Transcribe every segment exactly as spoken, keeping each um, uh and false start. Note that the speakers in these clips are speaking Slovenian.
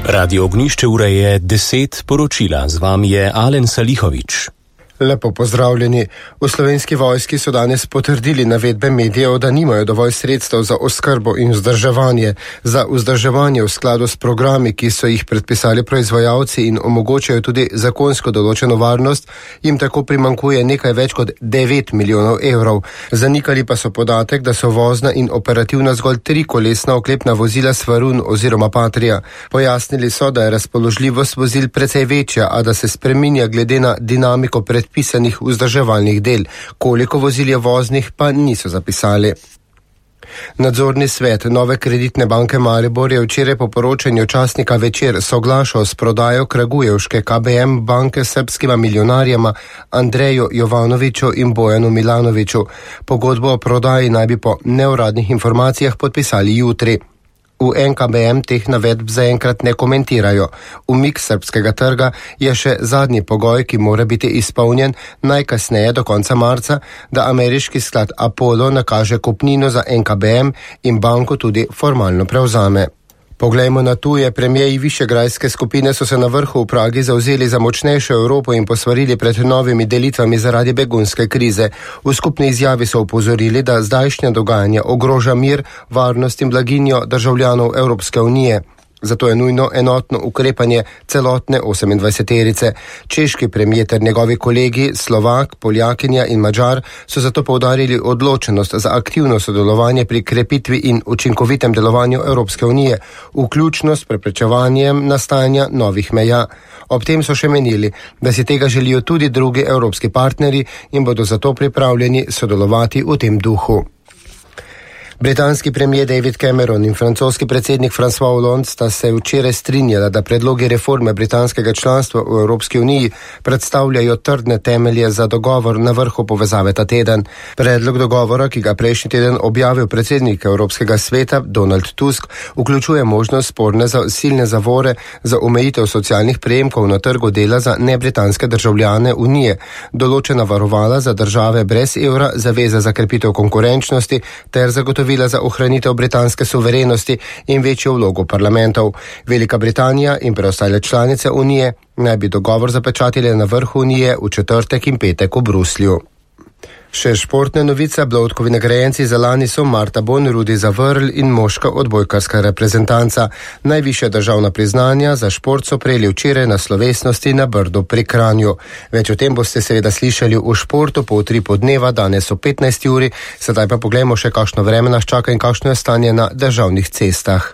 Radio Ognišče, ura je deset, poročila. Z vami je Alen Salihovič. Lepo pozdravljeni. V Slovenski vojski so danes potrdili navedbe medijev, da nimajo dovolj sredstev za oskrbo in vzdrževanje. Za vzdrževanje v skladu s programi, ki so jih predpisali proizvajalci in omogočajo tudi zakonsko določeno varnost, jim tako primankuje nekaj več kot devet milijonov evrov. Zanikali pa so podatek, da so vozna in operativna zgolj trikolesna oklepna vozila Svarun oziroma Patria. Pojasnili so, da je razpoložljivost vozil precej večja, a da se spreminja glede na dinamiko pred pisanih vzdrževalnih del. Koliko vozil je voznih, pa niso zapisali. Nadzorni svet Nove kreditne banke Maribor je včeraj po poročanju časnika Večer soglašal s prodajo Kragujevške K B M banke srbskima milijonarjema Andreju Jovanoviću in Bojanu Milanoviću. Pogodbo o prodaji naj bi po neuradnih informacijah podpisali jutri. V N K B M teh navedb zaenkrat ne komentirajo. Umik srbskega trga je še zadnji pogoj, ki mora biti izpolnjen najkasneje do konca marca, da ameriški sklad Apollo nakaže kupnino za N K B M in banko tudi formalno prevzame. Poglejmo na tuje. Premijeji višegrajske skupine so se na vrhu v Pragi zavzeli za močnejšo Evropo in posvarili pred novimi delitvami zaradi begunske krize. V skupni izjavi so opozorili, da zdajšnja dogajanja ogroža mir, varnost in blaginjo državljanov Evropske unije. Zato je nujno enotno ukrepanje celotne osemindvajseterice. Češki premijer ter njegovi kolegi, Slovak, Poljakinja in Madžar, so zato poudarili odločenost za aktivno sodelovanje pri krepitvi in učinkovitem delovanju Evropske unije, vključno s preprečevanjem nastajanja novih meja. Ob tem so še menili, da si tega želijo tudi drugi evropski partnerji in bodo zato pripravljeni sodelovati v tem duhu. Britanski premijer David Cameron in francoski predsednik François Hollande sta se včeraj strinjala, da predlogi reforme britanskega članstva v Evropski uniji predstavljajo trdne temelje za dogovor na vrhu povezave ta teden. Predlog dogovora, ki ga prejšnji teden objavil predsednik Evropskega sveta Donald Tusk, vključuje možnost sporne za silne zavore za omejitev socialnih prejemkov na trgu dela za nebritanske državljane unije, določena varovala za države brez evra, zaveza za krepitev konkurenčnosti ter zagotovitev za ohranitev britanske suverenosti in večjo vlogo parlamentov. Velika Britanija in preostale članice unije naj bi dogovor zapečatile na vrhu unije v četrtek in petek v Bruslju. Še športne novice. Bloudkovi nagrajenci za lani so Marta Bon, Rudi Zavrl in moška odbojkarska reprezentanca. Najvišja državna priznanja za šport so prejeli včeraj na slovesnosti na Brdu pri Kranju. Več o tem boste seveda slišali v športu po utripu dneva, danes o petnajsti uri. Sedaj pa poglejmo še, kakšno vreme nas čaka in kakšno je stanje na državnih cestah.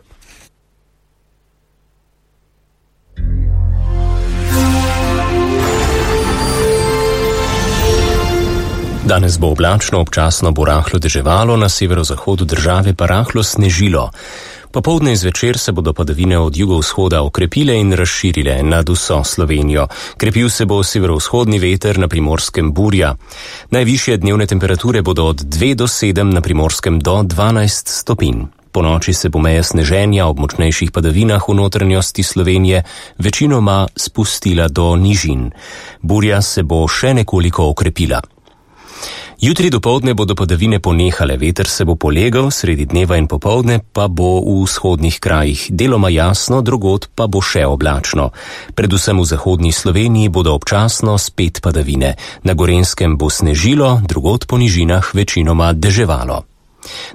Danes bo oblačno, občasno bo rahlo deževalo, na severozahodu države pa rahlo snežilo. Popoldne in zvečer se bodo padavine od jugovzhoda okrepile in razširile nad vso Slovenijo. Krepil se bo severovzhodni veter, na Primorskem burja. Najvišje dnevne temperature bodo od dve do sedem, na Primorskem do dvanajst stopinj. Po noči se bo meja sneženja ob močnejših padavinah v notranjosti Slovenije večinoma spustila do nižin. Burja se bo še nekoliko okrepila. Jutri dopoldne bodo padavine ponehale, veter se bo polegal, sredi dneva in popoldne pa bo v vzhodnih krajih deloma jasno, drugod pa bo še oblačno. Predvsem v zahodni Sloveniji bodo občasno spet padavine. Na Gorenjskem bo snežilo, drugod po nižinah večinoma deževalo.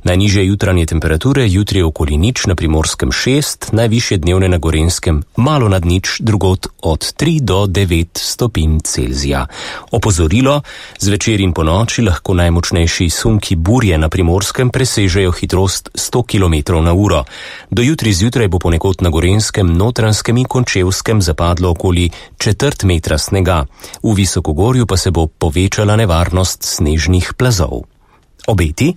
Najnižje jutranje temperature jutri okoli nič, na Primorskem šest, najvišje dnevne na Gorenjskem malo nad nič, drugod od tri do devet stopinj Celzija. Opozorilo, zvečer in po noči lahko najmočnejši sunki burje na Primorskem presežejo hitrost sto kilometrov na uro. Do jutri zjutraj bo ponekod na Gorenjskem, Notranjskem in Končevskem zapadlo okoli četrt metra snega. V Visokogorju pa se bo povečala nevarnost snežnih plazov. Obeti?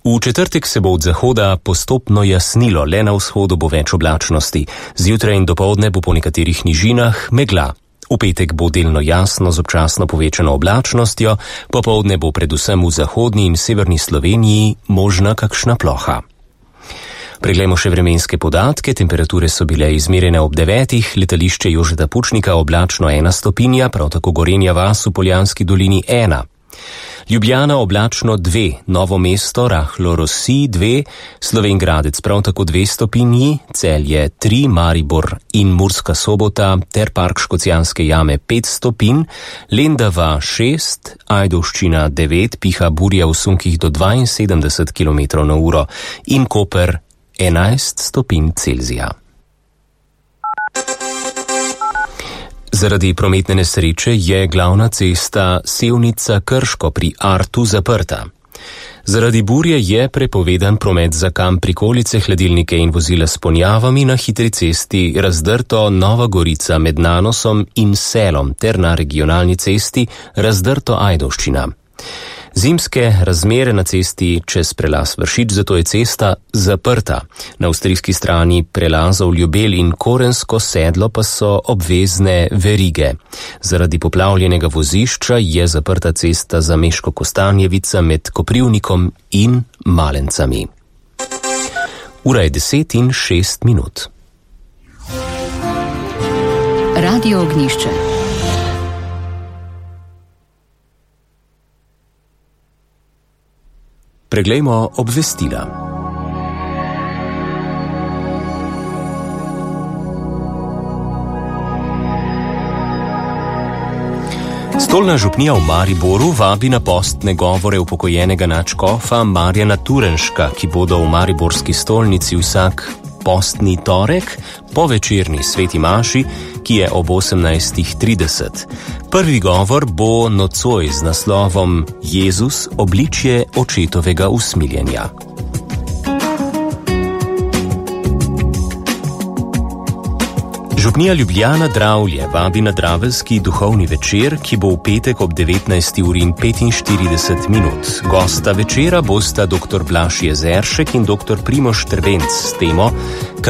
V četrtek se bo od zahoda postopno jasnilo, le na vzhodu bo več oblačnosti. Zjutraj in dopoldne bo po nekaterih nižinah megla. V petek bo delno jasno z občasno povečano oblačnostjo, popoldne bo predvsem v zahodni in severni Sloveniji možna kakšna ploha. Preglejmo še vremenske podatke. Temperature so bile izmerjene ob devetih, letališče Jožeta Pučnika oblačno ena stopinja, prav tako Gorenja vas v Poljanski dolini ena. Ljubljana oblačno dve, Novo mesto rahlo rosi dve, Slovenj Gradec prav tako dve stopinji, Celje tri, Maribor in Murska Sobota ter Park Škocjanske jame pet stopinj, Lendava šest, Ajdovščina devet, piha burja v sunkih do dvainsedemdeset kilometrov na uro in Koper enajst stopinj Celzija. Zaradi prometne nesreče je glavna cesta Sevnica-Krško pri Artu zaprta. Zaradi burje je prepovedan promet za kamp prikolice, hladilnike in vozila s ponjavami na hitri cesti Razdrto Nova Gorica med Nanosom in Selom ter na regionalni cesti Razdrto Ajdovščina. Zimske razmere na cesti čez prelaz Vršič, zato je cesta zaprta. Na avstrijski strani prelazov Ljubelj in Korensko sedlo pa so obvezne verige. Zaradi poplavljenega vozišča je zaprta cesta za Meško Kostanjevica med Koprivnikom in Malencami. Ura je deset in šest minut. Radio Ognjišče. Preglejmo obvestila. Stolna župnija v Mariboru vabi na postne govore upokojenega nadškofa Marjana Turenška, ki bodo v mariborski stolnici vsak postni torek po večerni sveti maši, ki je ob osemnajstih trideset. Prvi govor bo nocoj z naslovom Jezus, obličje očetovega usmiljenja. Župnija Ljubljana Dravlje vabi na draveljski duhovni večer, ki bo v petek ob devetnajsti uri in petinštirideset minut. Gosta večera bosta doktor Blaž Jezeršek in doktor Primož Trbenc s temo